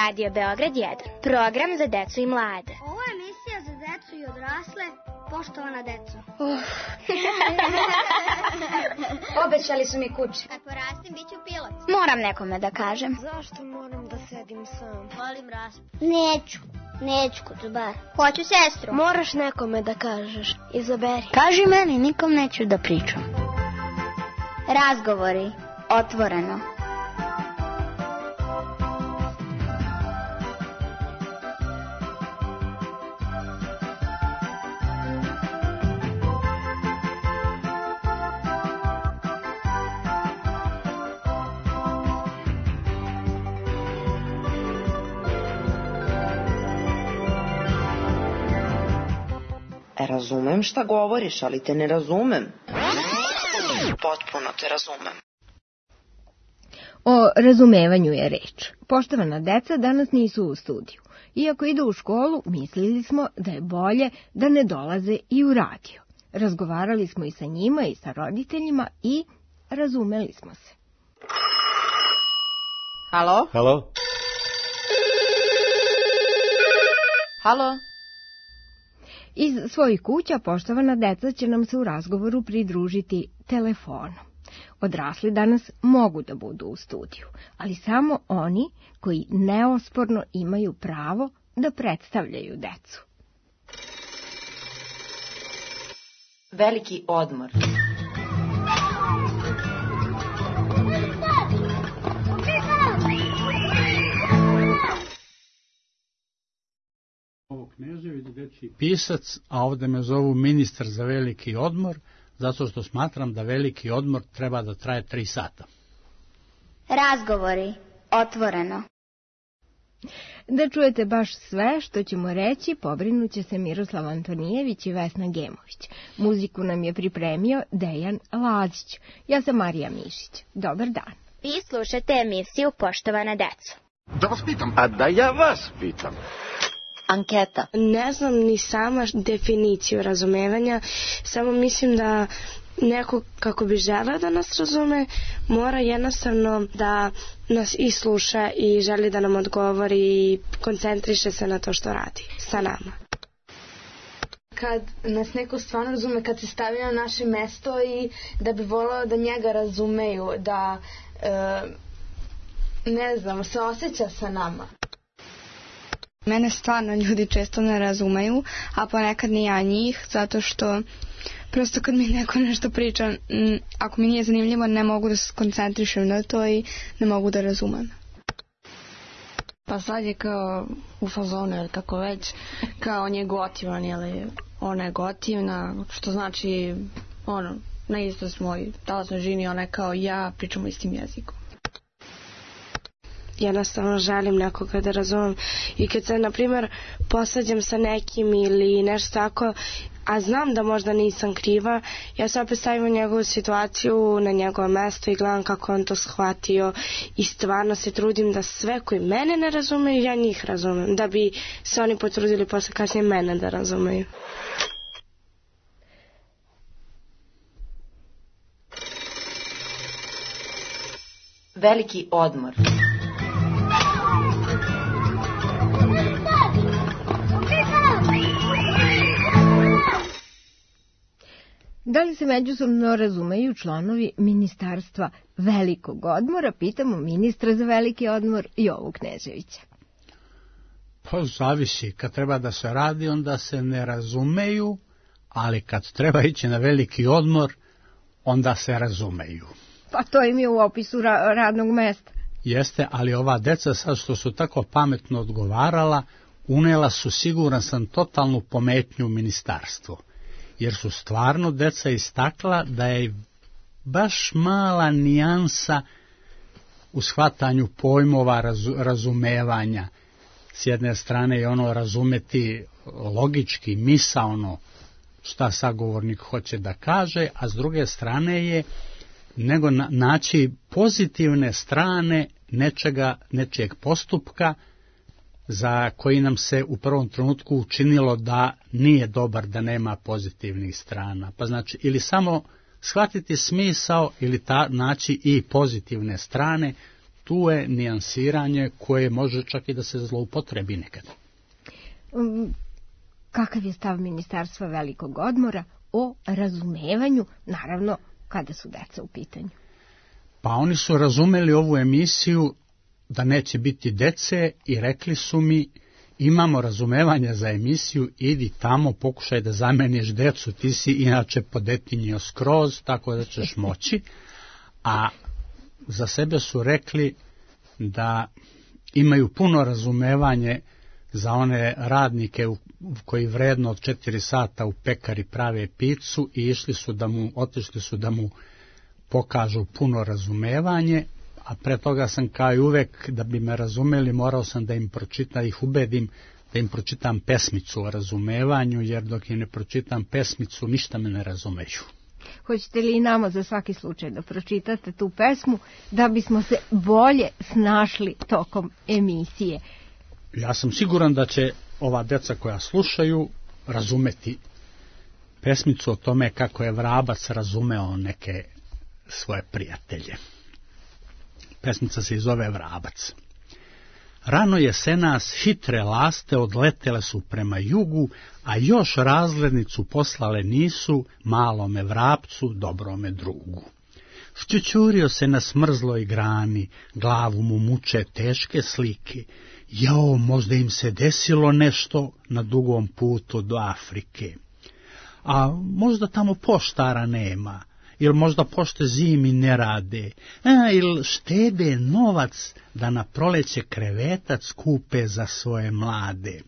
Radio Beograd 1, program za decu i mlade. Ovo je emisija za decu i odrasle, poštovana deco. Obećali su mi kuće. Kad porastim, bit ću pilot. Moram nekome da kažem. Zašto moram da sedim sam? Volim raspad. Neću kod bar. Hoću sestru. Moraš nekome da kažeš. Izaberi. Kaži meni, nikom neću da pričam. Razgovori. Otvoreno. Razumem šta govoriš, ali te ne razumem. Potpuno te razumem. O razumevanju je reč. Poštovana deca danas nisu u studiju. Iako idu u školu, mislili smo da je bolje da ne dolaze i u radio. Razgovarali smo i sa njima i sa roditeljima i razumeli smo se. Halo? Halo? Halo? Iz svojih kuća poštovana deca će nam se u razgovoru pridružiti telefonom. Odrasli danas mogu da budu u studiju, ali samo oni koji neosporno imaju pravo da predstavljaju decu. Veliki odmor. Knežević, dečiji pisac, a ovdje me zovu ministar za veliki odmor, zato što smatram da veliki odmor treba da traje 3 sata. Razgovori. Otvoreno. Da čujete baš sve što ćemo reći, pobrinuće se Miroslav Antonijević i Vesna Gemović. Muziku nam je pripremio Dejan Lazić. Ja sam Marija Mišić. Dobar dan. Vi slušate emisiju Poštovana deco. Da vas pitam. A da ja vas pitam. Anketa. Ne znam ni sama definiciju razumevanja, samo mislim da neko kako bi želeo da nas razume, mora jednostavno da nas i sluša i želi da nam odgovori i koncentriše se na to što radi sa nama. Kad nas neko stvarno razume, kad se stavi na naše mesto i da bi voleo da njega razumeju, da ne znam, se osjeća sa nama. Mene stvarno ljudi često ne razumeju, a ponekad ni ja njih, zato što prosto kad mi neko nešto priča, ako mi nije zanimljivo, ne mogu da se koncentrišem na to i ne mogu da razumem. Pa sad je kao u fazonu, ili kako već, kao on je gotivan, ili ona je gotivna, što znači, na isto smo i talasnoj žini, ona je kao ja, pričamo istim jezikom. Jednostavno želim nekoga da razumem i kad se, na primjer, posađam sa nekim ili nešto tako, a znam da možda nisam kriva, ja se opet stavim u njegovu situaciju, na njegovo mesto i gledam kako on to shvatio i stvarno se trudim da sve koji mene ne razumeju, ja njih razumem, da bi se oni potrudili posle kasnije mene da razumeju. Veliki odmor. Da li se međusobno razumeju članovi Ministarstva velikog odmora, pitamo ministra za veliki odmor Jovu Kneževića. Pa zavisi, kad treba da se radi, onda se ne razumeju, ali kad treba ići na veliki odmor, onda se razumeju. Pa to im je u opisu radnog mesta. Jeste, ali ova deca sad što su tako pametno odgovarala, unela su, siguran sam, totalnu pometnju u ministarstvo. Jer su stvarno deca istakla da je baš mala nijansa u shvatanju pojmova razumevanja. S jedne strane je razumeti logički, misaono šta sagovornik hoće da kaže, a s druge strane je nego naći pozitivne strane nečijeg postupka za koji nam se u prvom trenutku učinilo da nije dobar, da nema pozitivnih strana. Pa znači ili samo shvatiti smisao ili naći i pozitivne strane tu je nijansiranje koje može čak i da se zloupotrebi nekad. Kakav je stav Ministarstva velikog odmora o razumevanju, naravno, kada su deca u pitanju? Pa oni su razumeli ovu emisiju da neće biti dece i rekli su mi, imamo razumevanja za emisiju, idi tamo, pokušaj da zameniš decu, ti si inače podetinjio skroz, tako da ćeš moći. A za sebe su rekli da imaju puno razumevanje za one radnike koji vredno od 4 sata u pekari prave picu i otišli su da mu pokažu puno razumevanje, a pre toga sam kao i uvek, da bi me razumeli, morao sam da ih ubedim da im pročitam pesmicu o razumevanju, jer dok im ne pročitam pesmicu, ništa me ne razumeju. Hoćete li i nama za svaki slučaj da pročitate tu pesmu, da bismo se bolje snašli tokom emisije? Ja sam siguran da će ova deca koja slušaju razumeti pesmicu o tome kako je vrabac razumeo neke svoje prijatelje. Pesmica se zove Vrabac. Rano jesenas hitre laste odletele su prema jugu, a još razglednicu poslale nisu malome vrapcu, dobrome drugu. Šćućurio se na smrzloj grani, glavu mu muče teške slike. Jao, možda im se desilo nešto na dugom putu do Afrike. A možda tamo poštara nema, ili možda pošte zimi ne rade, ili štede novac da na proleće krevetac kupe za svoje mlade.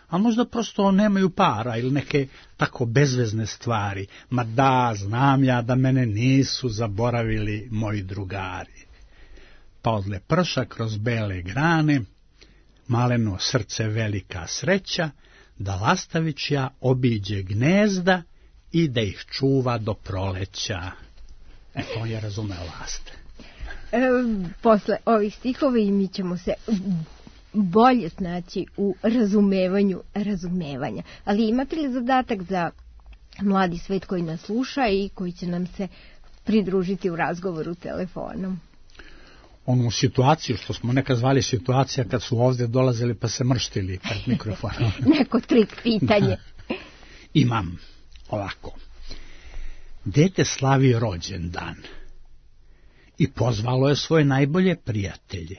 A možda prosto nemaju para ili neke tako bezvezne stvari. Ma da, znam ja da mene nisu zaboravili moji drugari. Pa odle prša kroz bele grane, maleno srce velika sreća, da lastavićja obiđe gnezda i da ih čuva do proleća. Eto, on je razumeo laste. Posle ovih stihova i mi ćemo se bolje snaći u razumevanju razumevanja. Ali imate li zadatak za mladi svet koji nas sluša i koji će nam se pridružiti u razgovoru telefonom? Onu situaciju, što smo nekad zvali situacija, kad su ovdje dolazili pa se mrštili pred mikrofonom. Neko trik pitanje. Imam ovako. Dete slavi rođendan i pozvalo je svoje najbolje prijatelje.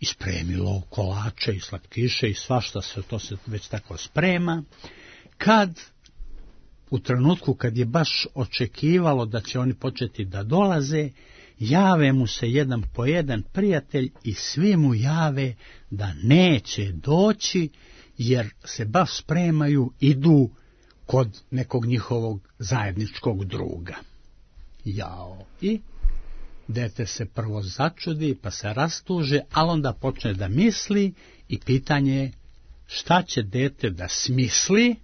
I spremilo kolače i slatkiše i svašta se, to se već tako sprema. U trenutku kad je baš očekivalo da će oni početi da dolaze, jave mu se jedan po jedan prijatelj i svi mu jave da neće doći, jer se baš spremaju, idu kod nekog njihovog zajedničkog druga. Jao. I dete se prvo začudi, pa se rastuže, ali onda počne da misli i pitanje je šta će dete da smisli,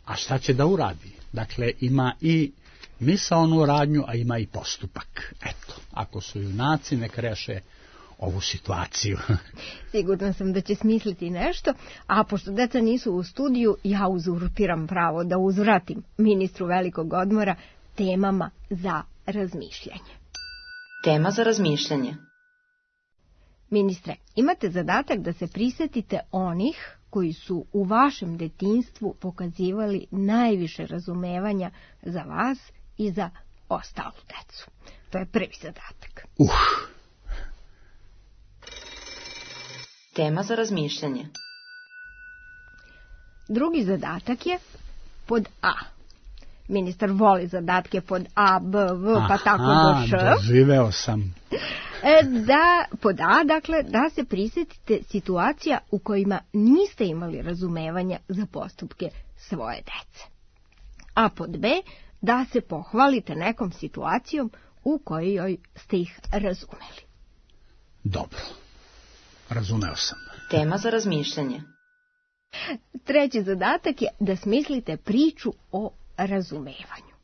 a šta će da uradi. Dakle, ima i misaonu radnju, a ima i postupak. Eto, ako su junaci, nek reše ovu situaciju. Sigurna sam da će smisliti nešto, a pošto deca nisu u studiju, ja uzurpiram pravo da uzvratim ministru velikog odmora temama za razmišljanje. Tema za razmišljanje. Ministre, imate zadatak da se prisetite onih koji su u vašem detinjstvu pokazivali najviše razumevanja za vas i za ostalu decu. To je prvi zadatak. Tema za razmišljanje. Drugi zadatak je pod A. Ministar voli zadatke pod A, B, V, pa tako do Š. Doživeo sam. Pod A, dakle, da se prisjetite situacija u kojima niste imali razumevanja za postupke svoje dece. A pod B, da se pohvalite nekom situacijom u kojoj ste ih razumeli. Dobro, razumeo sam. Tema za razmišljanje. Treći zadatak je da smislite priču o razumevanju.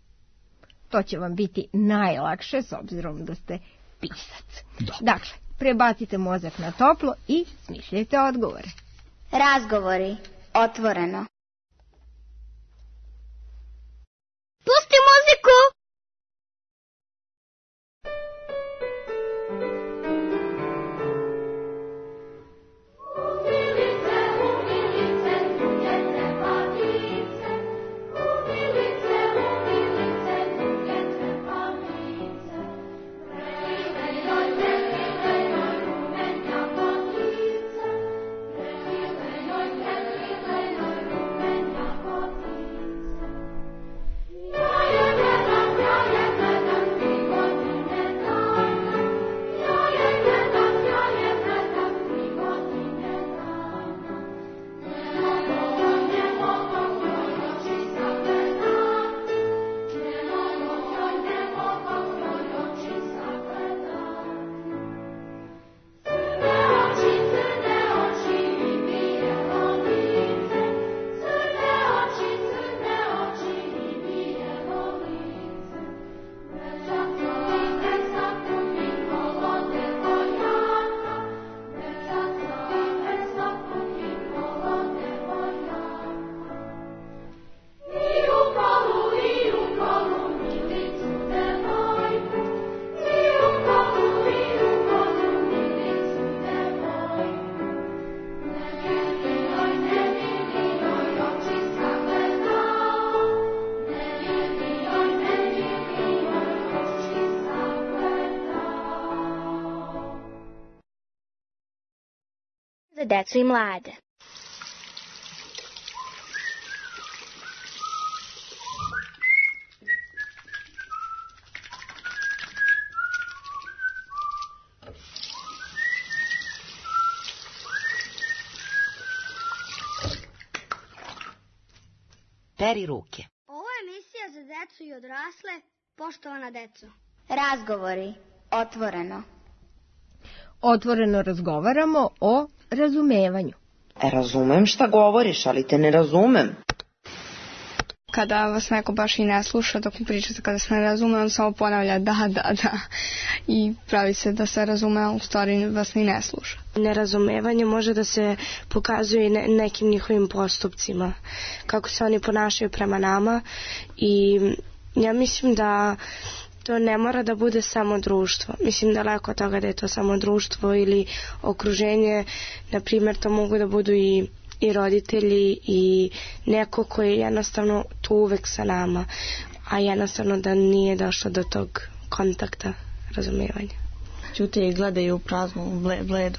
To će vam biti najlakše s obzirom da ste pisac. Dakle, prebacite mozak na toplo i smišljajte odgovore. Razgovori. Otvoreno. Pusti muziku! za decu i mlade. Peri ruke. Ovo je emisija za decu i odrasle, poštovana deco. Razgovori, otvoreno. Otvoreno razgovaramo o razumevanju. Razumem šta govoriš, ali te ne razumem. Kada vas neko baš i ne sluša dok mu pričate, kada se ne razume, on samo ponavlja da i pravi se da se razume, a u stvari vas ni ne sluša. Nerazumevanje može da se pokazuje i nekim njihovim postupcima, kako se oni ponašaju prema nama, i ja mislim da to ne mora da bude samo društvo. Mislim daleko od toga da je to samo društvo ili okruženje. Na primjer, to mogu da budu i roditelji i neko koji je jednostavno tu uvek sa nama, a jednostavno da nije došlo do tog kontakta, razumevanja. Ćute i gledaju u praznu, bledu.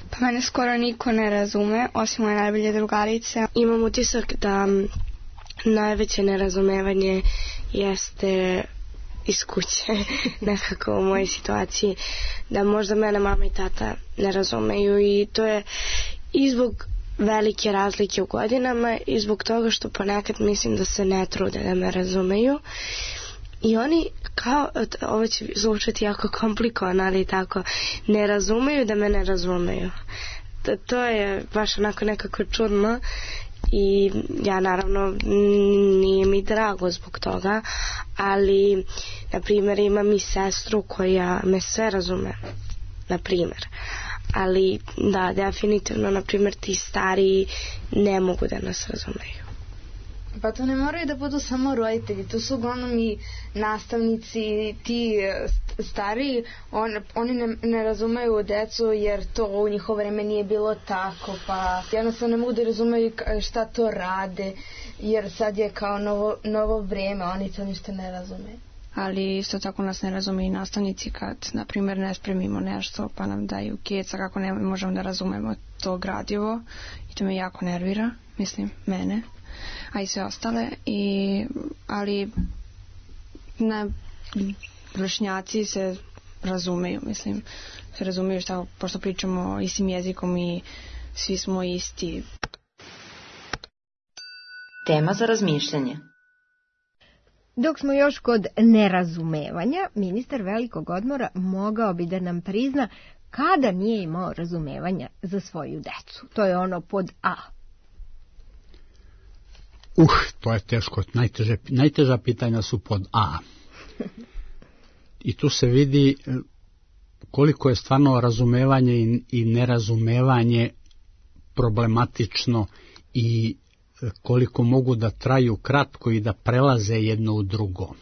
Pa mene skoro niko ne razume, osim moje najbolje drugarice. Imam utisak da najveće nerazumevanje jeste iz kuće, nekako u mojoj situaciji, da možda mene mama i tata ne razumeju, i to je i zbog velike razlike u godinama i zbog toga što ponekad mislim da se ne trude da me razumeju, i oni kao, ovo će zvučati jako komplikovano, ali tako, ne razumeju da me ne razumeju. To je baš onako nekako čudno, i ja naravno nije mi drago zbog toga, ali na primjer imam i sestru koja me sve razume, na primjer, ali da, definitivno, na primjer, ti stariji ne mogu da nas razumeju. Pa to ne moraju da budu samo roditelji, to su uglavnom i nastavnici, ti stariji, oni ne razumeju decu jer to u njihovo vreme nije bilo tako, pa jednostavno ne mogu da razumeju šta to rade, jer sad je kao novo vreme, oni to ništa ne razumeju. Ali isto tako nas ne razume i nastavnici kad, na primjer, ne spremimo nešto pa nam daju keca kako ne možemo da razumemo to gradivo, i to me jako nervira, mislim, mene, a i sve ostale, ali vršnjaci se razumeju, mislim, se razumeju šta, pošto pričamo istim jezikom i svi smo isti. Tema za razmišljanje. Dok smo još kod nerazumevanja, ministar velikog odmora mogao bi da nam prizna kada nije imao razumevanja za svoju decu. To je ono pod A. To je teško. Najteža pitanja su pod A. I tu se vidi koliko je stvarno razumevanje i nerazumevanje problematično, i koliko mogu da traju kratko i da prelaze jedno u drugo.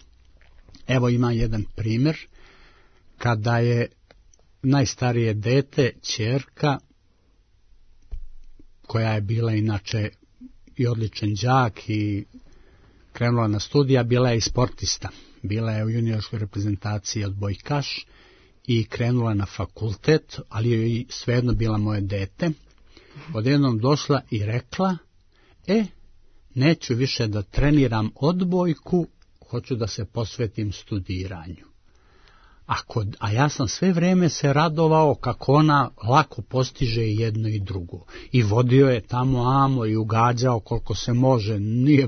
Evo ima jedan primjer, kada je najstarije dete, ćerka, koja je bila inače i odličan đak i krenula na studija, bila je i sportista. Bila je u juniorskoj reprezentaciji odbojkaš i krenula na fakultet, ali joj i svejedno bila moje dete. Odjednom došla i rekla: neću više da treniram odbojku, hoću da se posvetim studiranju. A ja sam sve vreme se radovao kako ona lako postiže jedno i drugo. I vodio je tamo i ugađao koliko se može.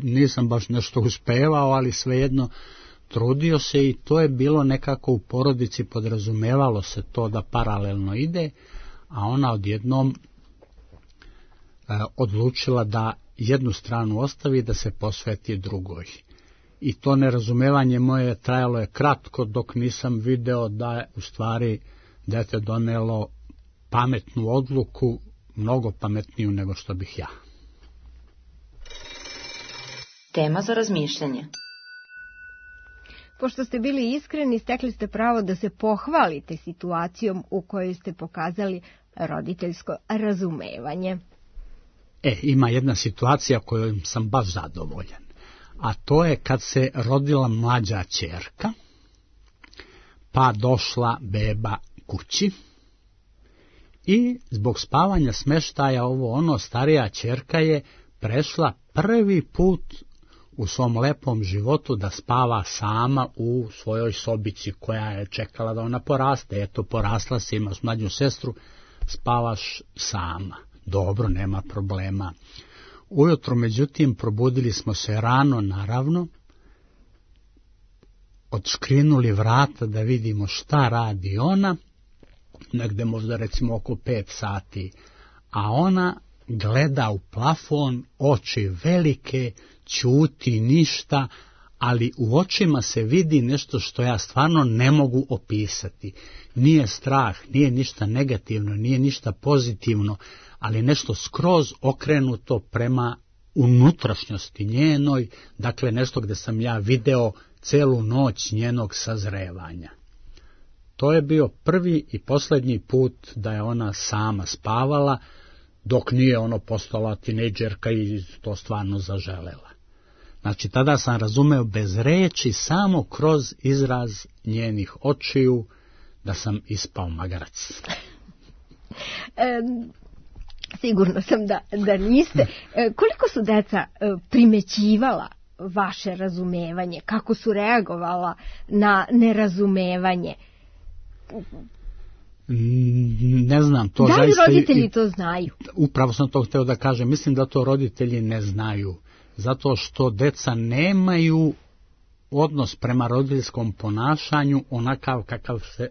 Nisam baš nešto uspevao, ali svejedno trudio se, i to je bilo nekako u porodici, podrazumevalo se to da paralelno ide, a ona odjednom odlučila da jednu stranu ostavi, da se posveti drugoj. I to nerazumevanje moje trajalo je kratko, dok nisam video da je u stvari dete donelo pametnu odluku, mnogo pametniju nego što bih ja. Tema za razmišljanje. Pošto ste bili iskreni, stekli ste pravo da se pohvalite situacijom u kojoj ste pokazali roditeljsko razumevanje. Ima jedna situacija kojom sam baš zadovoljan, a to je kad se rodila mlađa ćerka, pa došla beba kući I zbog spavanja, smeštaja, ovo ono, starija ćerka je prešla prvi put u svom lepom životu da spava sama u svojoj sobici koja je čekala da ona poraste. Eto, porasla si, imaš mlađu sestru, spavaš sama. Dobro, nema problema. Ujutro, međutim, probudili smo se rano, naravno, odškrinuli vrata da vidimo šta radi ona, negde možda recimo oko 5 sati, a ona gleda u plafon, oči velike, ćuti ništa, ali u očima se vidi nešto što ja stvarno ne mogu opisati. Nije strah, nije ništa negativno, nije ništa pozitivno, ali nešto skroz okrenuto prema unutrašnjosti njenoj, dakle nešto gde sam ja video celu noć njenog sazrevanja. To je bio prvi i posljednji put da je ona sama spavala, dok nije postala tinejdžerka i to stvarno zaželela. Znači, tada sam razumeo bez reči, samo kroz izraz njenih očiju, da sam ispao magarac. Sigurno sam da niste. Koliko su deca primećivala vaše razumevanje? Kako su reagovala na nerazumevanje? Ne znam. To da li roditelji to znaju? Upravo sam to hteo da kažem. Mislim da to roditelji ne znaju. Zato što deca nemaju odnos prema roditeljskom ponašanju onakav kakav se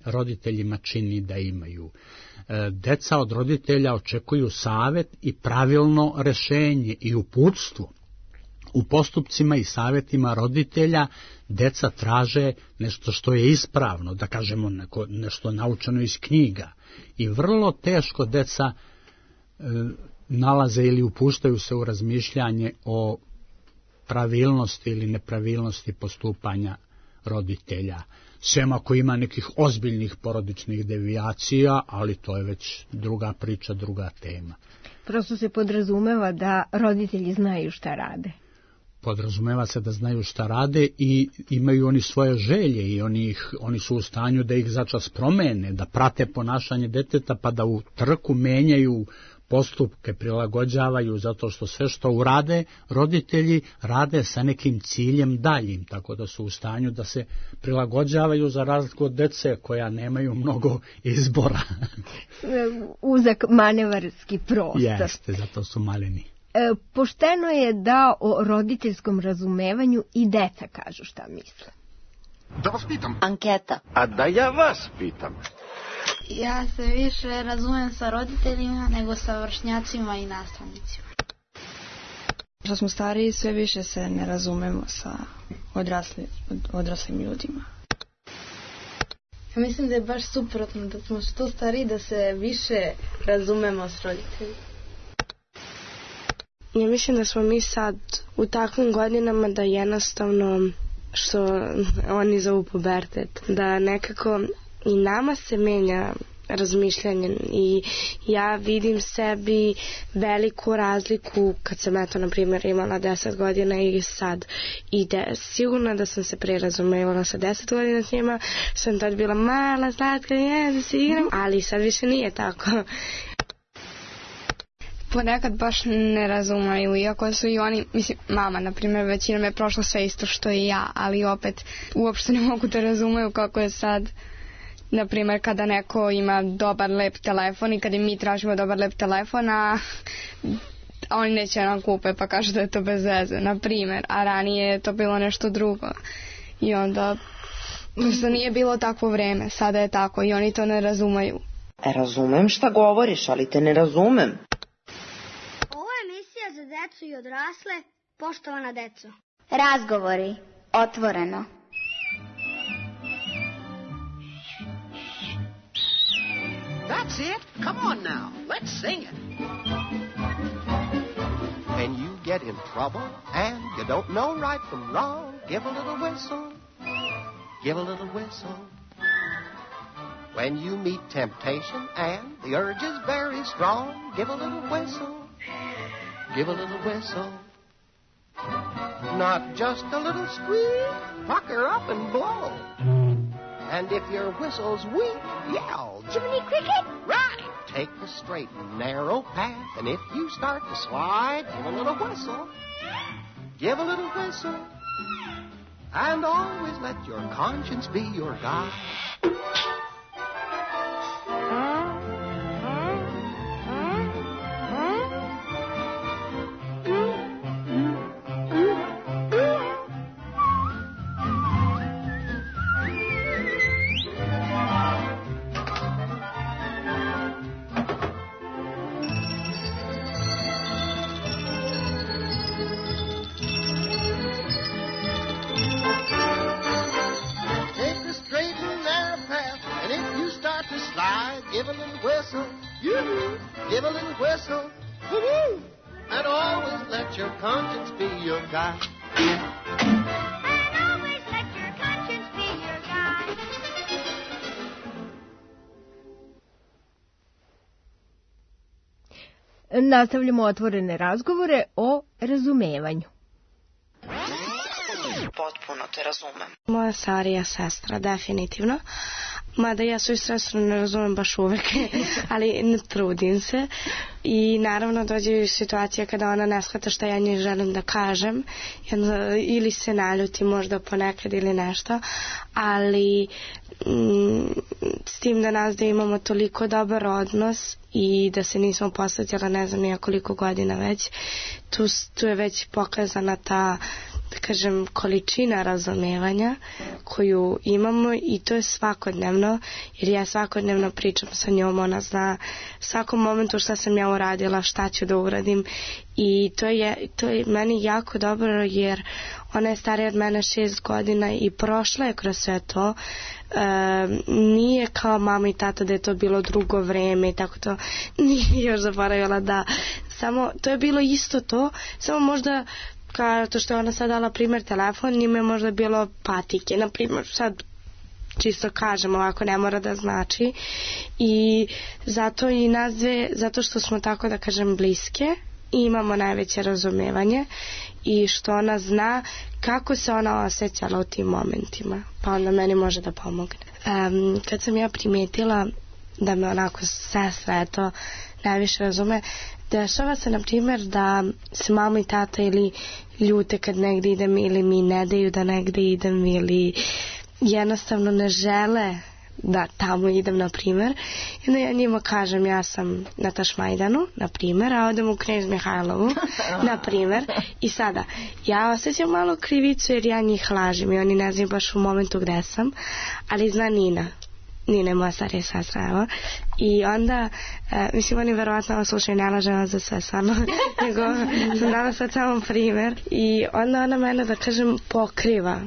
roditeljima čini da imaju. Deca od roditelja očekuju savet i pravilno rešenje i uputstvo. U postupcima i savjetima roditelja deca traže nešto što je ispravno, da kažemo nešto naučeno iz knjiga. I vrlo teško deca nalaze ili upuštaju se u razmišljanje o pravilnosti ili nepravilnosti postupanja roditelja. Sem ako ima nekih ozbiljnih porodičnih devijacija, ali to je već druga priča, druga tema. Prosto se podrazumeva da roditelji znaju šta rade. Podrazumeva se da znaju šta rade i imaju oni svoje želje i oni su u stanju da ih začas promene, da prate ponašanje deteta pa da u trku menjaju postupke, prilagođavaju, zato što sve što urade roditelji rade sa nekim ciljem daljim, tako da su u stanju da se prilagođavaju za razliku od dece koja nemaju mnogo izbora. Uzak manevarski prostor. Jeste, zato su maleni. Pošteno je da o roditeljskom razumevanju i deca kažu šta misle. Da vas pitam. Anketa. A da ja vas pitam. Ja se više razumem sa roditeljima nego sa vršnjacima i nastavnicima. Što smo stariji, sve više se ne razumemo sa odraslim ljudima. Ja mislim da je baš suprotno, da smo što stariji da se više razumemo s roditeljima. Ja mislim da smo mi sad u takvim godinama da jednostavno, što oni zovu pubertet, da nekako i nama se menja razmišljanje i ja vidim sebi veliku razliku kad sam na primjer imala 10 godina i sad i sigurno da sam se pre razumevala sa 10 godina s njima, sam tad bila mala, slatka, da se igram, ali sad više nije tako. Ponekad baš ne razumeju, iako su i oni, mislim, mama, na primjer, većinom je prošla sve isto što i ja, ali opet uopšte ne mogu da razumeju kako je sad, na primjer, kada neko ima dobar, lep telefon i kada mi tražimo dobar, lep telefon, a oni neće nam kupe pa kažu da je to bez veze, na primjer, a ranije je to bilo nešto drugo i onda prosto nije bilo takvo vreme, sada je tako i oni to ne razumeju. Razumem šta govoriš, ali te ne razumem. Ovo je emisija za decu i odrasle, poštovana deco. Razgovori, otvoreno. That's it. Come on now. Let's sing it. When you get in trouble and you don't know right from wrong, give a little whistle. Give a little whistle. When you meet temptation and the urge is very strong, give a little whistle. Give a little whistle. Not just a little squeak, pucker up and blow. And if your whistle's weak, yell, Jiminy Cricket? Right! Take the straight and narrow path, and if you start to slide, give a little whistle. Give a little whistle. And always let your conscience be your guide. Give a little whistle, yoo-hoo. Give a little whistle, woo-hoo. And always let your conscience be your guide. And always let your conscience be your guide. Nastavljamo otvorene razgovore o razumevanju. Potpuno te razumem. Moja starija sestra, definitivno. Mada ja svoju sestru ne razumem baš uvek, ali ne trudim se. I naravno dođe situacija kada ona ne shvata šta ja njoj želim da kažem. Ili se naljuti možda ponekad ili nešto. Ali s tim da nas da imamo toliko dobar odnos i da se nismo posvetila ne znam nija koliko godina već. Tu je već pokazana ta, da kažem, količina razumevanja koju imamo i to je svakodnevno, jer ja svakodnevno pričam sa njom, ona zna svakom momentu šta sam ja uradila, šta ću da uradim i to je meni jako dobro jer ona je starija od mene 6 godina i prošla je kroz sve to. Nije kao mama i tata da je to bilo drugo vreme i tako to nije još zaboravila da samo to je bilo isto to, samo možda kao to što je ona sad dala primjer telefon, njima je možda bilo patike, na primjer sad čisto kažem ovako, ne mora da znači i zato i nas dve, zato što smo tako da kažem bliske i imamo najveće razumevanje i što ona zna kako se ona osjećala u tim momentima, pa onda meni može da pomogne. Kad sam ja primetila da me onako sestra eto najviše razume, dešava se na primjer da se mama i tata ili ljute kad negdje idem ili mi ne daju da negdje idem ili jednostavno ne žele da tamo idem na primjer. I onda ja njima kažem ja sam na Tašmajdanu na primjer, a odem u Knez Mihajlovu na primjer i sada ja osjećam malo krivicu jer ja njih lažem i oni ne znaju baš u momentu gde sam, ali zna Nina je moja starija sestra, evo. I onda, mislim, oni verovatno ovo slušaju, ne lažem za sve stvarno, nego sam dala sad samo primjer. I onda ona mene, da kažem, pokriva.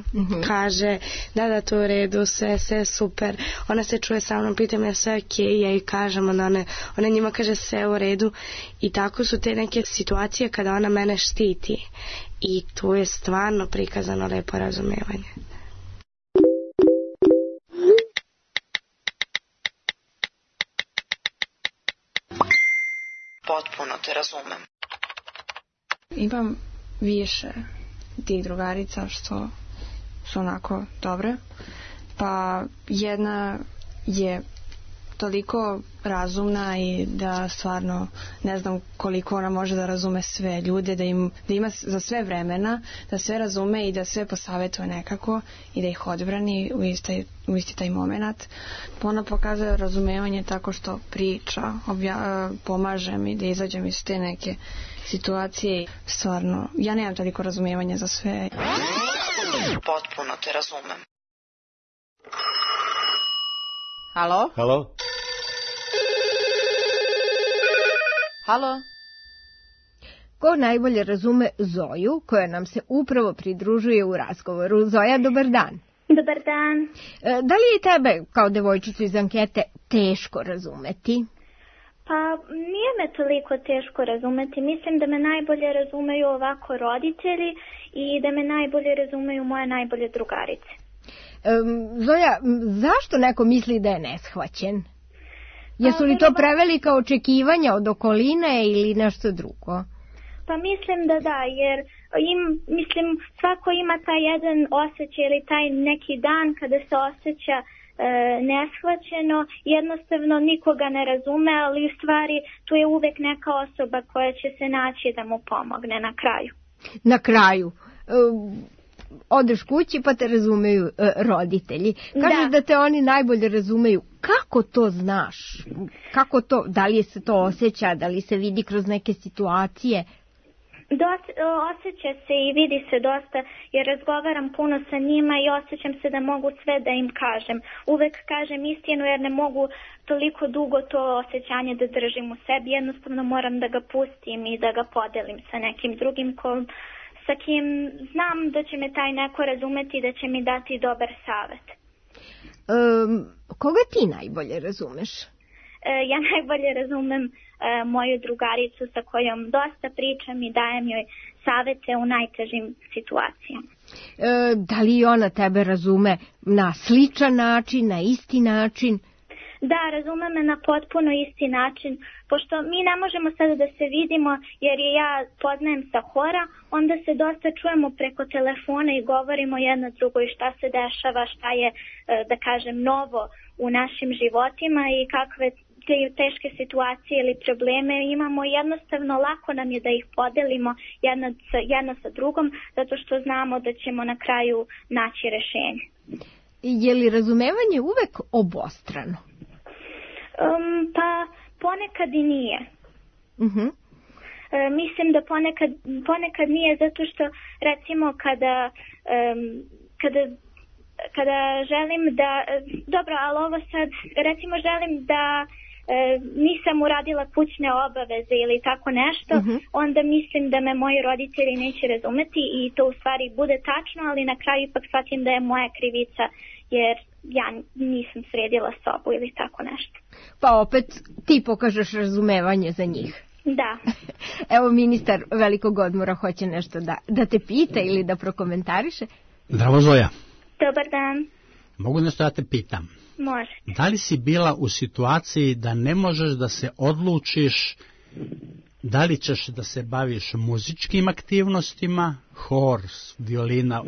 Kaže, da, to je u redu, sve super. Ona se čuje sa mnom, pita me sve okej, ja joj kažem, onda ona njima kaže sve u redu. I tako su te neke situacije kada ona mene štiti. I tu je stvarno prikazano lepo razumevanje. Potpuno te razumem. Imam više tih drugarica što su onako dobre. Pa jedna je toliko razumna i da stvarno ne znam koliko ona može da razume sve ljude, da ima za sve vremena, da sve razume i da sve posavetuje nekako i da ih odbrani u isti taj moment. Ona pokazuje razumevanje tako što priča, pomaže mi da izađem iz te neke situacije. Stvarno, ja nemam toliko razumevanja za sve. Potpuno te razumem. Halo? Halo? Halo? Ko najbolje razume Zoju, koja nam se upravo pridružuje u razgovoru? Zoja, dobar dan. Dobar dan. Da li je tebe, kao devojčicu iz ankete, teško razumeti? Pa nije me toliko teško razumeti. Mislim da me najbolje razumeju ovako roditelji i da me najbolje razumeju moje najbolje drugarice. Zoja, zašto neko misli da je neshvaćen? Jesu li to prevelika očekivanja od okoline ili nešto drugo? Pa mislim da, jer svako ima taj jedan osjećaj ili taj neki dan kada se osjeća neshvaćeno, jednostavno nikoga ne razume, ali u stvari tu je uvek neka osoba koja će se naći da mu pomogne na kraju. Na kraju, odeš kući pa te razumeju roditelji. Kažeš da te oni najbolje razumeju. Kako to znaš? Kako to, da li se to osjeća, da li se vidi kroz neke situacije? Osjeća se i vidi se dosta jer razgovaram puno sa njima i osjećam se da mogu sve da im kažem. Uvek kažem istinu jer ne mogu toliko dugo to osjećanje da držim u sebi. Jednostavno moram da ga pustim i da ga podelim sa nekim drugim sa kim znam da će me taj neko razumeti i da će mi dati dobar savet. Koga ti najbolje razumeš? Ja najbolje razumem moju drugaricu sa kojom dosta pričam i dajem joj savete u najtežim situacijama. Da li ona tebe razume na sličan način, na isti način? Da, razume me na potpuno isti način, pošto mi ne možemo sada da se vidimo jer je ja poznajem sa hora, onda se dosta čujemo preko telefona i govorimo jedno drugoj šta se dešava, šta je, da kažem, novo u našim životima i kakve te teške situacije ili probleme imamo. Jednostavno lako nam je da ih podelimo jedno sa drugom, zato što znamo da ćemo na kraju naći rešenje. Je li razumevanje uvek obostrano? Pa ponekad i nije. Mislim da ponekad nije, zato što recimo kada želim da, dobro, ali ovo sad, recimo želim da nisam uradila kućne obaveze ili tako nešto, onda mislim da me moji roditelji neće razumeti i to u stvari bude tačno, ali na kraju ipak shvatim da je moja krivica jer ja nisam sredila sobu ili tako nešto. Pa opet ti pokažeš razumevanje za njih. Da. Evo ministar velikog odmora hoće nešto da te pita ili da prokomentariše. Zdravo Zoja. Dobar dan. Mogu nešto da te pitam? Može. Da li si bila u situaciji da ne možeš da se odlučiš da li ćeš da se baviš muzičkim aktivnostima, hor, violina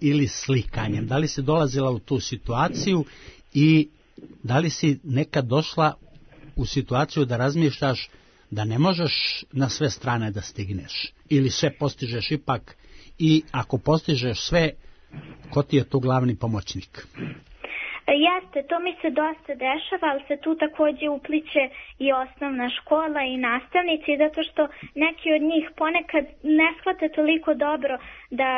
ili slikanjem? Da li si dolazila u tu situaciju i da li si nekad došla u situaciju da razmišljaš da ne možeš na sve strane da stigneš? Ili sve postižeš ipak i ako postižeš sve, ko ti je tu glavni pomoćnik? Jeste, to mi se dosta dešava, ali se tu također upliče i osnovna škola i nastavnici, zato što neki od njih ponekad ne shvate toliko dobro da,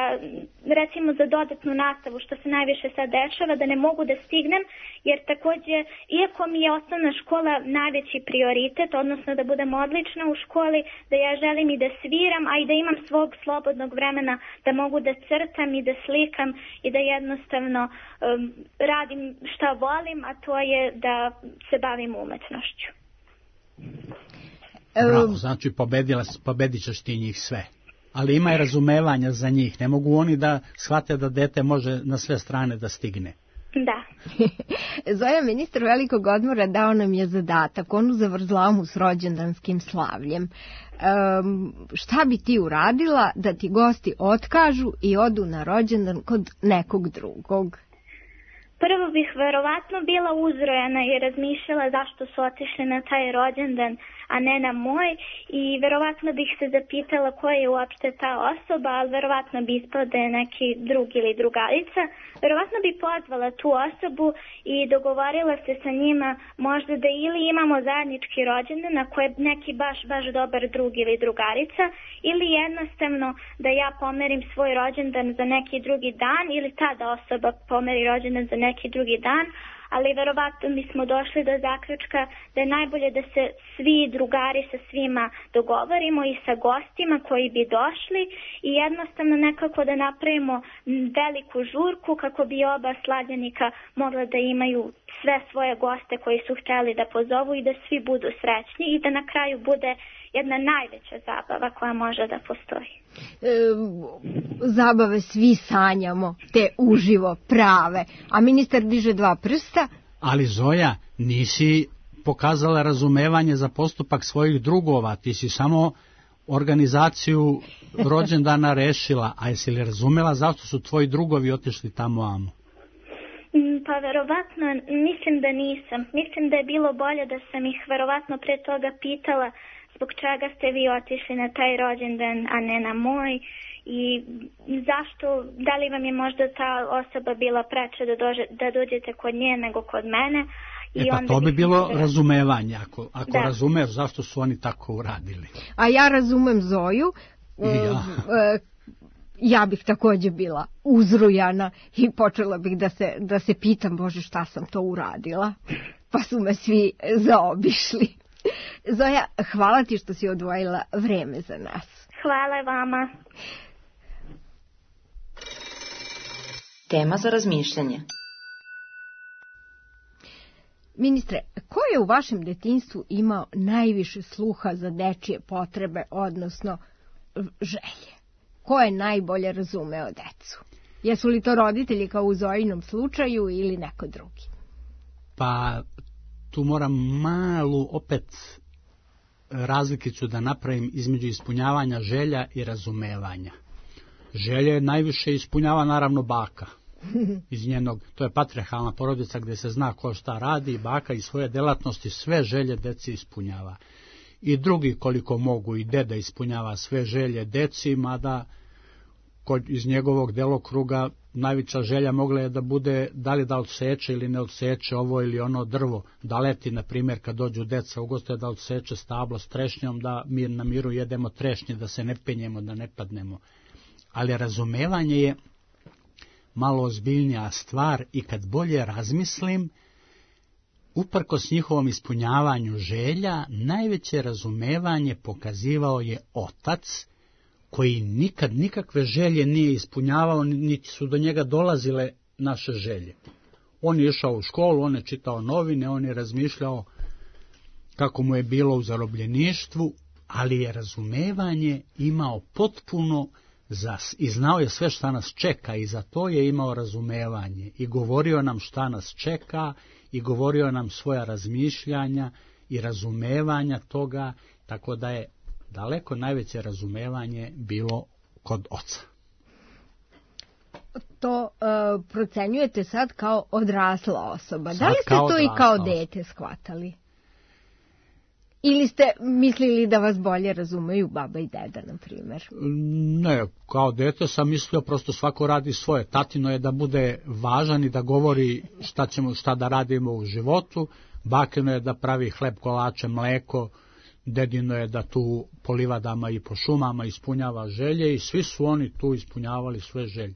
recimo za dodatnu nastavu, što se najviše sad dešava, da ne mogu da stignem, jer također, iako mi je osnovna škola najveći prioritet, odnosno da budem odlična u školi, da ja želim i da sviram, a i da imam svog slobodnog vremena, da mogu da crtam i da slikam i da jednostavno radim šta volim, a to je da se bavim umetnošću. Bravo, znači pobedit ćeš ti njih sve. Ali ima i razumevanja za njih. Ne mogu oni da shvate da dete može na sve strane da stigne. Da. Zoja, ministar velikog odmora dao nam je zadatak, onu zavrzlamu s rođendanskim slavljem. Šta bi ti uradila da ti gosti otkažu i odu na rođendan kod nekog drugog? Prvo bih verovatno bila uzrojena i razmišljala zašto su otišli na taj rođendan, a ne na moj, i verovatno bih se zapitala koja je uopšte ta osoba, ali verovatno bi ispala da je neki drug ili drugarica. Verovatno bi pozvala tu osobu i dogovorila se sa njima možda da ili imamo zajednički rođendan ako je neki baš dobar drug ili drugarica, ili jednostavno da ja pomerim svoj rođendan za neki drugi dan ili ta da osoba pomeri rođendan za neki drugi dan, ali verovatno mi smo došli do zaključka da je najbolje da se svi drugari sa svima dogovorimo i sa gostima koji bi došli i jednostavno nekako da napravimo veliku žurku kako bi oba slavljenika mogla da imaju sve svoje goste koji su hteli da pozovu i da svi budu srećni i da na kraju bude jedna najveća zabava koja može da postoji. Zabave svi sanjamo, te uživo, prave, a ministar diže 2 prsta. Ali Zoja, nisi pokazala razumevanje za postupak svojih drugova, ti si samo organizaciju rođendana rešila, a jesi li razumela zašto su tvoji drugovi otišli tamo amo? Pa verovatno, mislim da nisam. Mislim da je bilo bolje da sam ih verovatno pre toga pitala zbog čega ste vi otišli na taj rođendan, a ne na moj. I zašto, da li vam je možda ta osoba bila preče da dođete kod nje nego kod mene? Pa to bi bilo razumevanje. Ako razumeš zašto su oni tako uradili. A ja razumem Zoju. Ja bih također bila uzrujana i počela bih da se pitam, Bože, šta sam to uradila. Pa su me svi zaobišli. Zoja, hvala ti što si odvojila vreme za nas. Hvala vama. Tema za razmišljanje. Ministre, ko je u vašem detinjstvu imao najviše sluha za dečije potrebe, odnosno želje? Ko je najbolje razumeo decu? Jesu li to roditelji kao u Zojinom slučaju ili neko drugi? Pa tu moram malu opet razlikicu da napravim između ispunjavanja želja i razumevanja. Želje najviše ispunjava naravno baka. Iz njenog, to je patrijarhalna porodica gdje se zna ko šta radi i baka iz svoje delatnosti sve želje deci ispunjava. I drugi koliko mogu i deda ispunjava sve želje deci, mada iz njegovog delokruga najveća želja mogla je da bude da li da odseče ili ne odseče ovo ili ono drvo, da leti, na primjer, kad dođu deca u goste, da odseče stablo s trešnjom, da na miru jedemo trešnje, da se ne penjemo, da ne padnemo. Ali razumevanje je malo ozbiljnija stvar i kad bolje razmislim, uprkos njihovom ispunjavanju želja, najveće razumevanje pokazivao je otac, koji nikad nikakve želje nije ispunjavao, niti su do njega dolazile naše želje. On je išao u školu, on je čitao novine, on je razmišljao kako mu je bilo u zarobljeništvu, ali je razumevanje imao potpuno i znao je sve šta nas čeka i za to je imao razumevanje i govorio nam šta nas čeka i govorio nam svoja razmišljanja i razumevanja toga, tako da je daleko najveće razumevanje bilo kod oca. To procenjujete sad kao odrasla osoba. Da li ste to i kao dete shvatali? Ili ste mislili da vas bolje razumeju baba i deda, na primjer? Ne, kao dete sam mislio prosto svako radi svoje. Tatino je da bude važan i da govori šta da radimo u životu. Bakino je da pravi hleb, kolače, mleko. Dedino je da tu po livadama i po šumama ispunjava želje i svi su oni tu ispunjavali sve želje.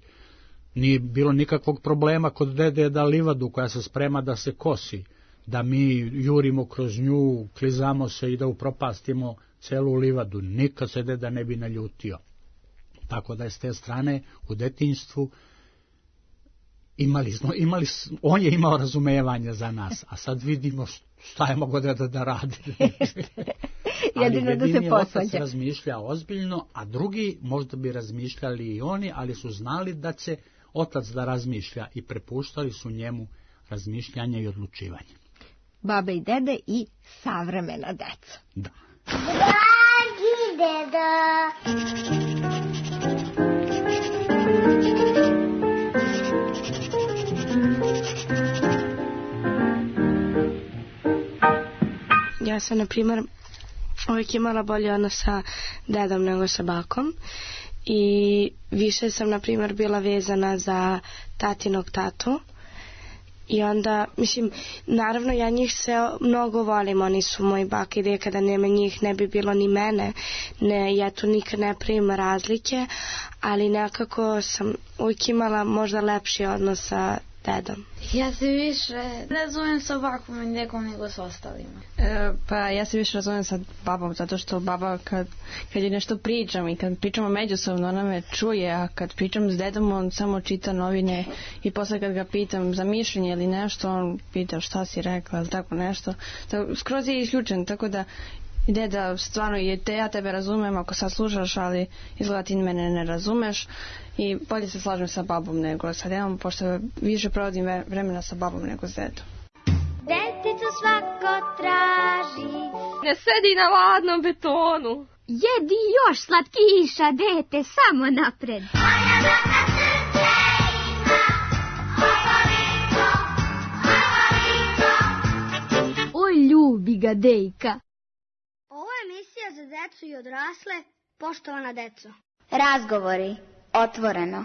Nije bilo nikakvog problema kod dede da livadu koja se sprema da se kosi, da mi jurimo kroz nju, klizamo se i da upropastimo celu livadu. Nikad se deda ne bi naljutio. Tako da je s te strane u detinjstvu on je imao razumevanje za nas, a sad vidimo šta je mogo da radi. Jedino da se posvađa. Otac razmišlja ozbiljno, a drugi možda bi razmišljali i oni, ali su znali da će otac da razmišlja i prepuštali su njemu razmišljanje i odlučivanje. Babe i dede i savremena deca. Da. Dragi deda! Ja sam, na primjer, uvijek imala bolje odnos sa dedom nego sa bakom i više sam, na primjer, bila vezana za tatinog tatu. I onda, mislim, naravno ja njih se mnogo volim, oni su moji baka i deka, kada nema njih ne bi bilo ni mene, ja tu nikad ne primam razlike, ali nekako sam uvijek imala možda lepši odnos sa dedom. Ja se više razumijem sa bakom i dekom nego s ostalima. Pa ja se više razumijem sa babom, zato što baba kad je nešto pričam i kad pričamo međusobno ona me čuje, a kad pričam s dedom on samo čita novine i posle kad ga pitam za mišljenje ili nešto on pita šta si rekla, tako nešto. Skroz je isključen, tako da deda, stvarno ja tebe razumem ako sad slušaš, ali izgleda ti mene ne razumeš i bolje se slažem sa babom nego sa dedom, pošto više provodim vremena sa babom nego s dedom. Deticu svako traži, ne sedi na ladnom betonu. Jedi još slatkiša, dete, samo napred. Moja baka srce ima, obaliko. brigadejka. Ovo je emisija za decu i odrasle, poštovana deco. Razgovori, otvoreno.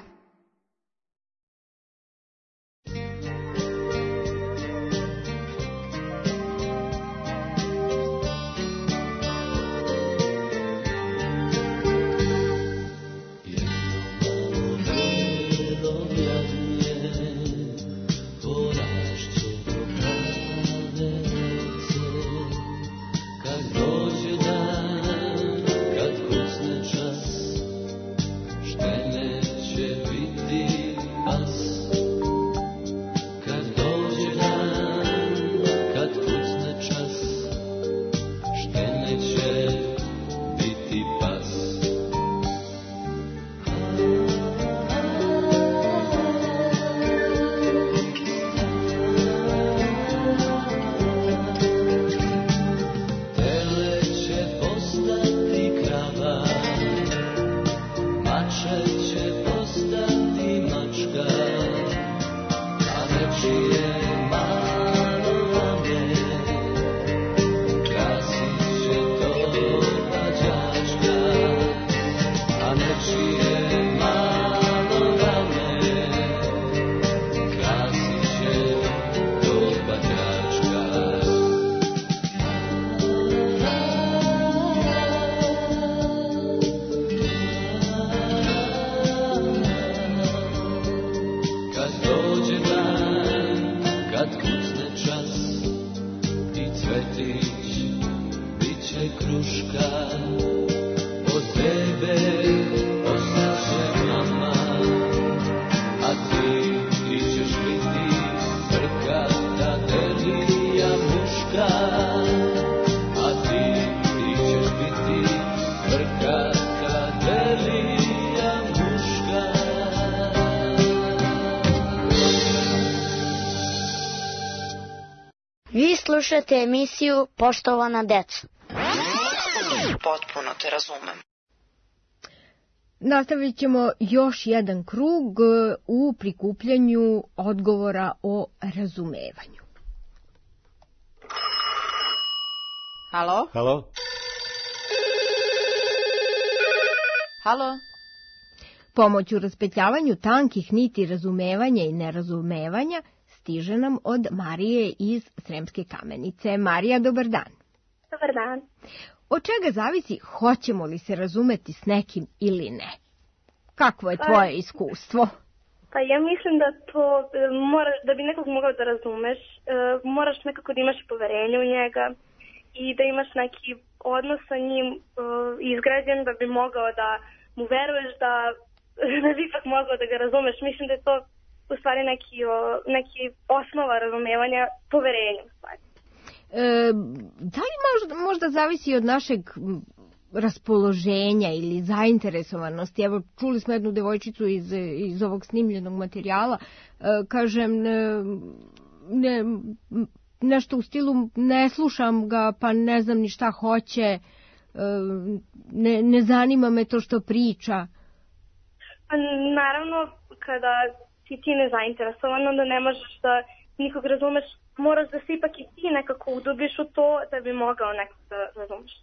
Vi slušate emisiju Poštovana deca. Potpuno te razumem. Nastavit ćemo još jedan krug u prikupljanju odgovora o razumevanju. Halo? Halo? Halo? Pomoć u raspetljavanju tankih niti razumevanja i nerazumevanja stiže nam od Marije iz Sremske Kamenice. Marija, dobar dan. Dobar dan. Od čega zavisi hoćemo li se razumeti s nekim ili ne? Kakvo je tvoje iskustvo? Pa ja mislim da to moraš, da bi nekog mogao da razumeš, moraš nekako da imaš poverenje u njega i da imaš neki odnos sa njim izgrađen da bi mogao da mu veruješ da bi ipak mogao da ga razumeš. Mislim da je to u stvari neki osnova razumevanja, poverenja u stvari. Da li možda zavisi od našeg raspoloženja ili zainteresovanosti? Evo, čuli smo jednu devojčicu iz ovog snimljenog materijala, kažem, nešto u stilu ne slušam ga, pa ne znam ni šta hoće, ne zanima me to što priča. Pa naravno, kada si ti nezainteresovan, onda ne možeš da nikog razumeš, moraš da se ipak i ti nekako udubiš u to da bi mogao nekog da razumeš.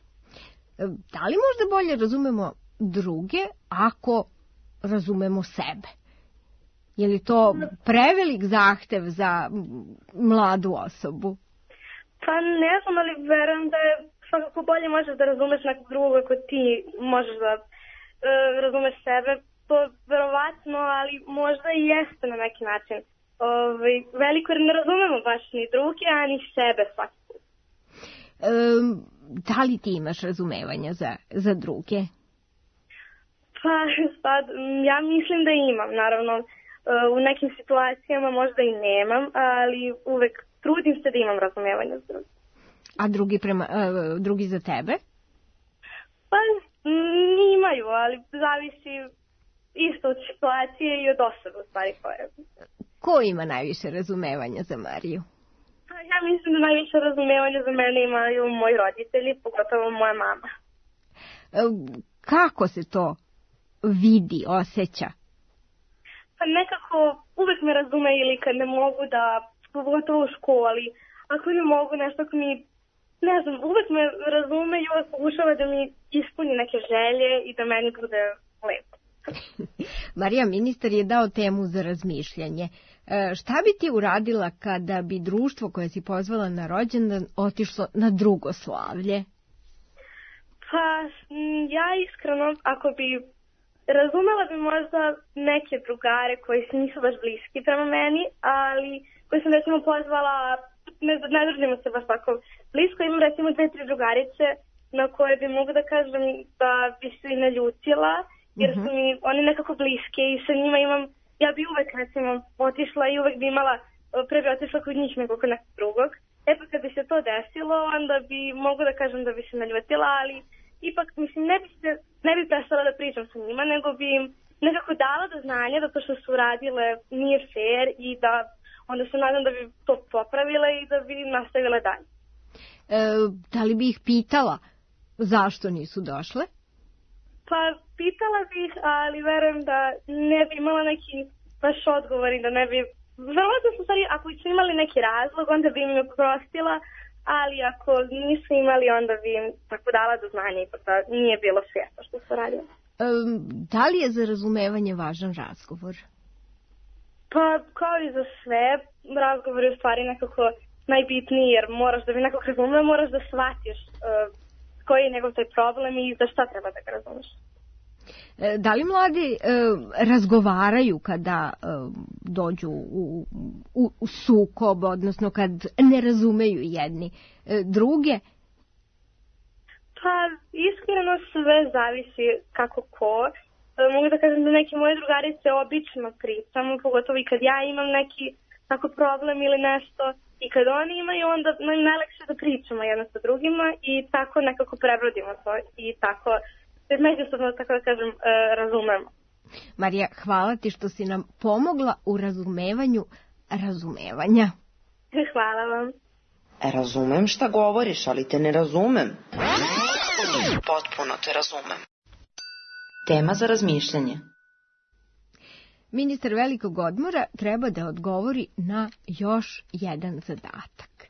Da li možda bolje razumemo druge ako razumemo sebe? Je li to prevelik zahtev za mladu osobu? Pa ne znam, ali verujem da je svakako bolje možeš da razumeš nekog drugog ako ti možeš da razumeš sebe. To verovatno, ali možda i jeste na neki način. Veliko jer ne razumemo baš ni druge, a ni sebe svaki put. Da li ti imaš razumevanja za druge? Pa sad, ja mislim da imam, naravno. U nekim situacijama možda i nemam, ali uvek trudim se da imam razumevanja za druge. A drugi za tebe? Pa imaju, ali zavisi isto od situacije i od osobe u stvari koje. Ko ima najviše razumevanja za Mariju? Ja mislim da najviše razumevanja za mene imaju moji roditelji, pogotovo moja mama. Kako se to vidi, osjeća? Pa nekako uvek me razume ili kad ne mogu da, pogotovo u školi, ako ne mogu nešto, ako mi ne znam, uvek me razume i uvek pokušava da mi ispuni neke želje i da meni bude lepo. Marija, ministar je dao temu za razmišljanje. Šta bi ti uradila kada bi društvo koje si pozvala na rođendan otišlo na drugo slavlje? Pa, ja iskreno, ako bi razumela bi možda neke drugare koji nisu baš bliski prema meni, ali koji sam recimo pozvala, ne držimo se baš tako blisko, imam recimo 2-3 drugarice na koje bi mogu da kažem da bi se i naljutila, jer su mi oni nekako bliske i sa njima imam, ja bi uvek recimo otišla i uvek bi imala, pre bi otišla kod njih nego kod nekog drugog. E pa kad bi se to desilo, onda bi mogu da kažem da bi se naljutila, ali ipak mislim ne bi prestala da pričam sa njima, nego bi im nekako dala do znanja da to što su uradile nije fair i da onda se nadam da bi to popravile i da bi nastavile dalje. Da li bi ih pitala zašto nisu došle? Pa pitala bih, ali verujem da ne bi imala neki baš odgovor i da ne bi... Verovatno su stvari, ako su imali neki razlog, onda bi im oprostila, ali ako nisu imali, onda bi im tako dala do znanja i da nije bilo svjesno što su radili. Da li je za razumevanje važan razgovor? Pa kao i za sve, razgovor je u stvari nekako najbitniji, jer moraš da bi nekog razumeo, moraš da shvatiš koji je njegov taj problem i za šta treba da ga razumeš. Da li mladi razgovaraju kada dođu u sukob, odnosno kad ne razumeju jedni druge? Pa iskreno sve zavisi kako ko. Mogu da kažem da neke moje drugarice obično pričamo, pogotovo i kad ja imam neki tako problem ili nešto i kad oni imaju, onda nam najlakše da pričamo jedno sa drugima i tako nekako prebrodimo to i tako međusobno, tako da kažem, razumemo. Marija, hvala ti što si nam pomogla u razumevanju razumevanja. Hvala vam. Razumem šta govoriš, ali te ne razumem. Potpuno te razumem. Tema za razmišljanje. Ministar velikog odmora treba da odgovori na još jedan zadatak.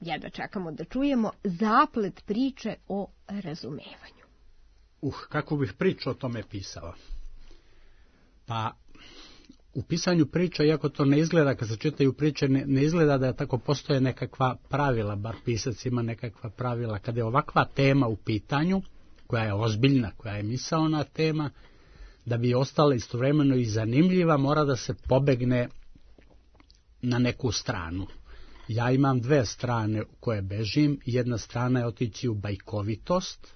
Jedva čekamo da čujemo zaplet priče o razumevanju. Kako bih priču o tome pisao? Pa, u pisanju priča, iako to ne izgleda, kad se čitaju priče, ne izgleda da tako postoje nekakva pravila, bar pisac ima nekakva pravila. Kada je ovakva tema u pitanju, koja je ozbiljna, koja je misaona tema, da bi ostala istovremeno i zanimljiva, mora da se pobegne na neku stranu. Ja imam 2 strane u koje bežim. Jedna strana je otići u bajkovitost,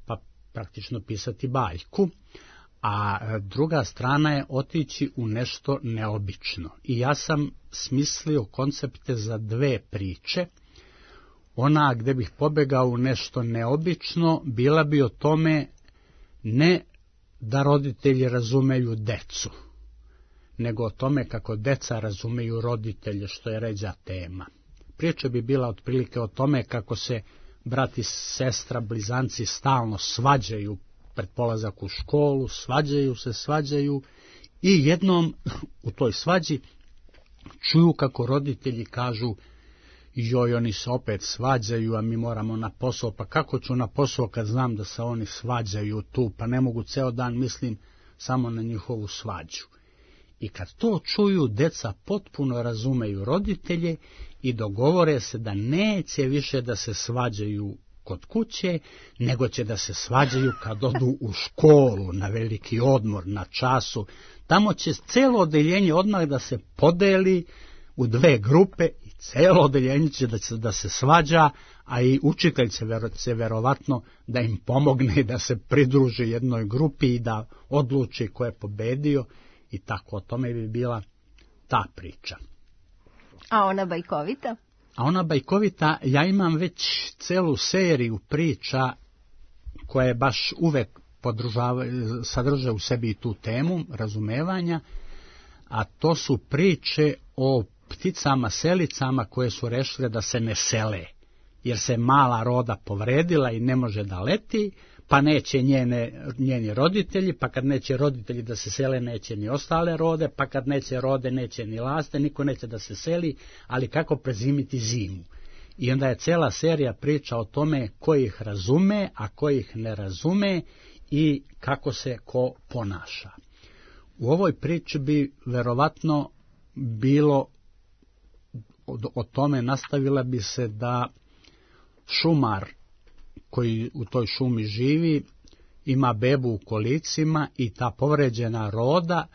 pa praktično pisati bajku, a druga strana je otići u nešto neobično. I ja sam smislio koncepte za 2 priče. Ona gde bih pobegao u nešto neobično, bila bi o tome ne da roditelji razumeju decu, nego o tome kako deca razumeju roditelje, što je ređa tema. Priča bi bila otprilike o tome kako se brat i sestra, blizanci stalno svađaju pred polazak u školu, svađaju i jednom u toj svađi čuju kako roditelji kažu: joj, oni se opet svađaju, a mi moramo na posao. Pa kako ću na posao kad znam da se oni svađaju tu, pa ne mogu ceo dan, mislim samo na njihovu svađu. I kad to čuju, deca potpuno razumeju roditelje i dogovore se da neće više da se svađaju kod kuće, nego će da se svađaju kad odu u školu, na veliki odmor, na času. Tamo će celo odeljenje odmah da se podeli u 2 grupe i celo odeljenje će da se svađa, a i učitelj će verovatno da im pomogne da se pridruži jednoj grupi i da odluči ko je pobedio i tako. O tome bi bila ta priča. A ona bajkovita? A ona bajkovita, ja imam već celu seriju priča koje baš uvek sadrže u sebi tu temu razumevanja, a to su priče o pticama selicama koje su rešile da se ne sele, jer se mala roda povredila i ne može da leti, pa neće njeni roditelji, pa kad neće roditelji da se sele, neće ni ostale rode, pa kad neće rode, neće ni laste, niko neće da se seli, ali kako prezimiti zimu. I onda je cijela serija priča o tome ko ih razume, a ko ih ne razume i kako se ko ponaša. U ovoj priči bi verovatno bilo, o tome nastavila bi se da šumar koji u toj šumi živi ima bebu u kolicima i ta povređena roda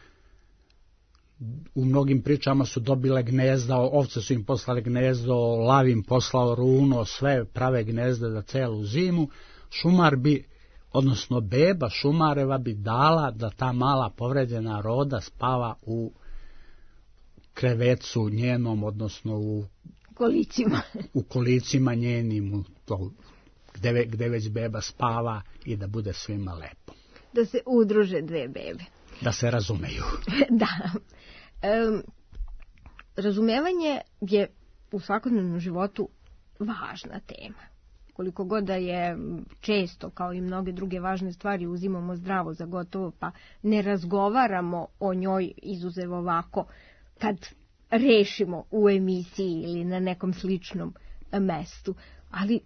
u mnogim pričama su dobile gnezda, ovce su im poslale gnezdo, lav im poslao runo, sve prave gnezde za celu zimu. Šumar bi, odnosno beba šumareva bi dala da ta mala povređena roda spava u krevecu njenom, odnosno u kolicima njenim, gde već beba spava i da bude svima lepo. Da se udruže dve bebe. Da se razumeju. Da. Razumevanje je u svakodnevnom životu važna tema. Koliko god da je često, kao i mnoge druge važne stvari, uzimamo zdravo za gotovo, pa ne razgovaramo o njoj izuzev ovako, kad rešimo u emisiji ili na nekom sličnom mestu. Ali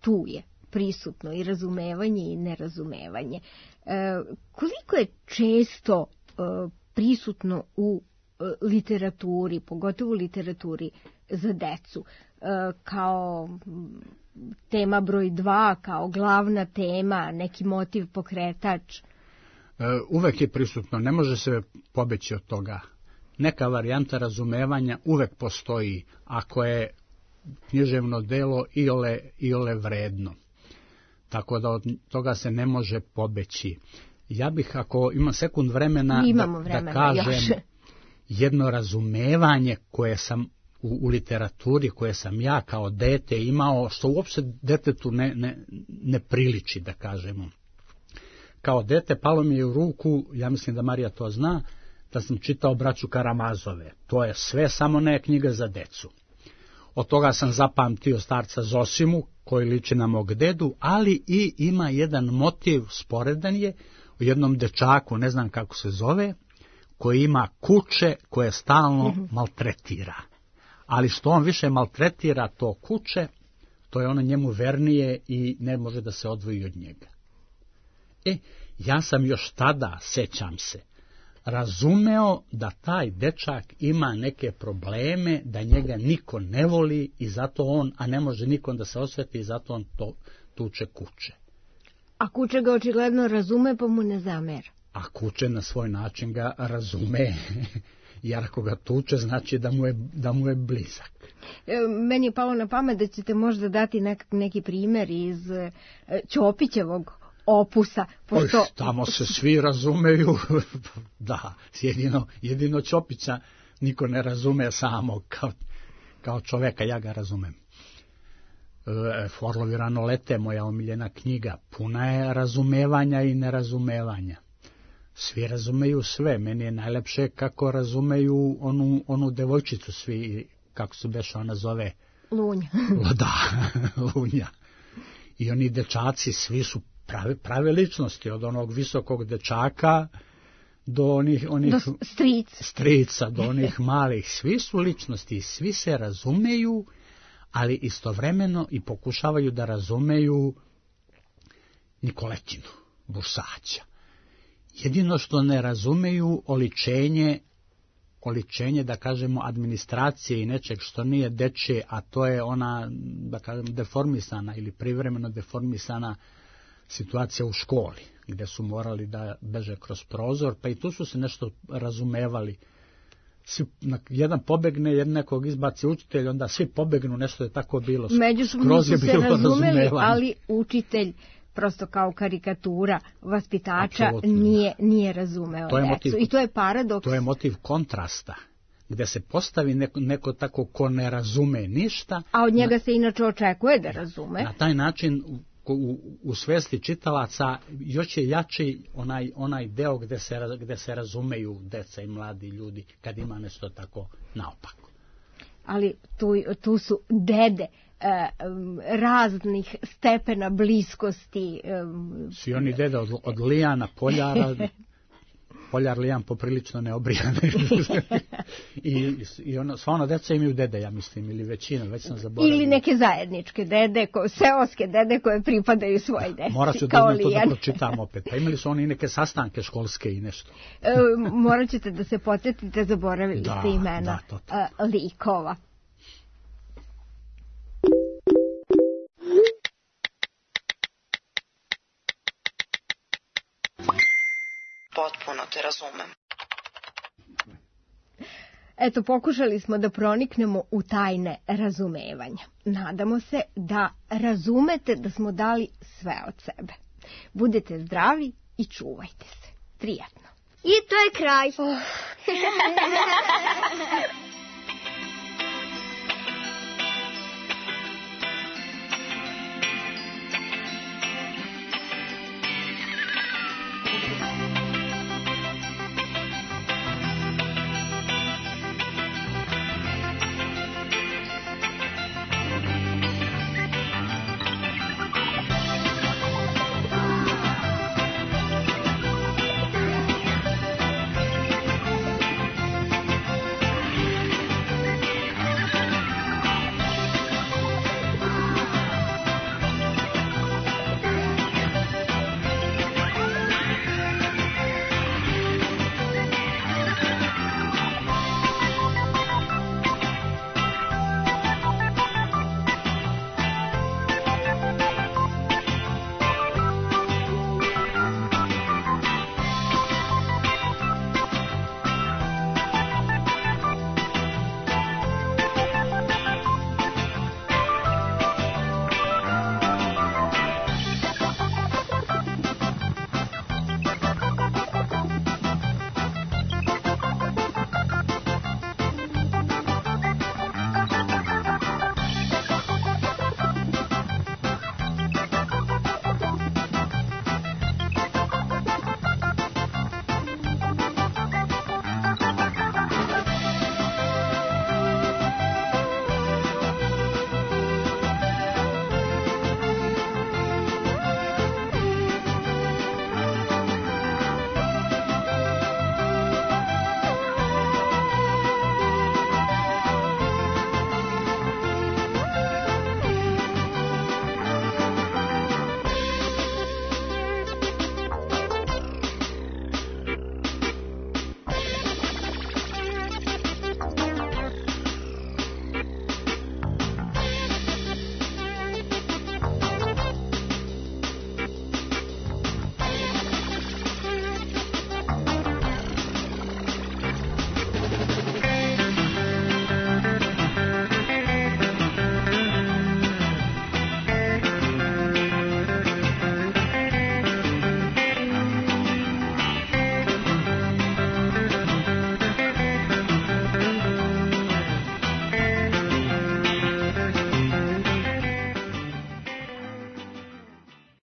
tu je prisutno i razumevanje i nerazumevanje. Koliko je često prisutno u literaturi, pogotovo u literaturi za decu, kao tema broj 2, kao glavna tema, neki motiv pokretač? Uvek je prisutno, ne može se pobeći od toga. Neka varijanta razumevanja uvek postoji, ako je književno delo iole vredno. Tako da od toga se ne može pobeći. Ja bih, ako imam sekund vremena, da kažem još jedno razumevanje koje sam u literaturi, koje sam ja kao dete imao, što uopšte detetu ne priliči, da kažemo. Kao dete palo mi je u ruku, ja mislim da Marija to zna, da sam čitao Braću Karamazove. To je sve samo ne knjiga za decu. Od toga sam zapamtio starca Zosimu, koji liči na mog dedu, ali i ima jedan motiv, sporedan je, u jednom dečaku, ne znam kako se zove, koji ima kuće koje stalno maltretira. Ali što on više maltretira to kuće, to je ono njemu vernije i ne može da se odvoji od njega. Ja sam još tada, sećam se, razumeo da taj dečak ima neke probleme, da njega niko ne voli i zato on, a ne može nikom da se osveti i zato on to tuče kuće. A kuće ga očigledno razume pa mu ne zamera. A kuće na svoj način ga razume, jer ako ga tuče znači da mu je blizak. Meni je palo na pamet da ćete možda dati neki primjer iz Ćopićevog opusa. Pošto... Tamo se svi razumeju, da, jedino Ćopića niko ne razume samo kao čoveka, ja ga razumem. Orlovi rano lete, moja omiljena knjiga, puna je razumevanja i nerazumevanja. Svi razumeju sve, meni je najlepše kako razumeju onu devojčicu, svi, kako se beše ona zove? Lunja. Da, Lunja. I oni dečaci, svi su prave ličnosti, od onog visokog dečaka do onih strica, do onih malih, svi su ličnosti, svi se razumeju, ali istovremeno i pokušavaju da razumeju Nikoletinu, Busaća. Jedino što ne razumeju oličenje, da kažemo, administracije i nečeg što nije dečje, a to je ona, da kažem, deformisana ili privremeno deformisana situacija u školi, gde su morali da beže kroz prozor, pa i tu su se nešto razumevali. Jedan pobegne, nekog izbaci učitelj, onda svi pobegnu, nešto je tako bilo. Međusobno su se razumeli, ali učitelj prosto kao karikatura vaspitača nije razumeo decu. I to je paradoks. To je motiv kontrasta, gde se postavi neko tako ko ne razume ništa. A od njega se inače očekuje da razume. Na taj način u svesti čitalaca još je jači onaj deo gde se razumeju deca i mladi ljudi, kad ima nešto tako naopako. Ali tu su dede raznih stepena bliskosti. Svi oni dede od Lijana, Poljara, Poljar Lijan poprilično neobrijan. I ono, sva ona deca imaju dede, ja mislim, ili većina, već sam zaboravio. Ili neke zajedničke dede, seoske dede koje pripadaju svoj deci. Morat ću da to da pročitam opet. Pa imali su oni neke sastanke školske i nešto. Morat ćete da se podsjetite, zaboravili ste imena likova. Potpuno te razumem. Eto, pokušali smo da proniknemo u tajne razumevanja. Nadamo se da razumete da smo dali sve od sebe. Budete zdravi i čuvajte se. Prijatno. I to je kraj.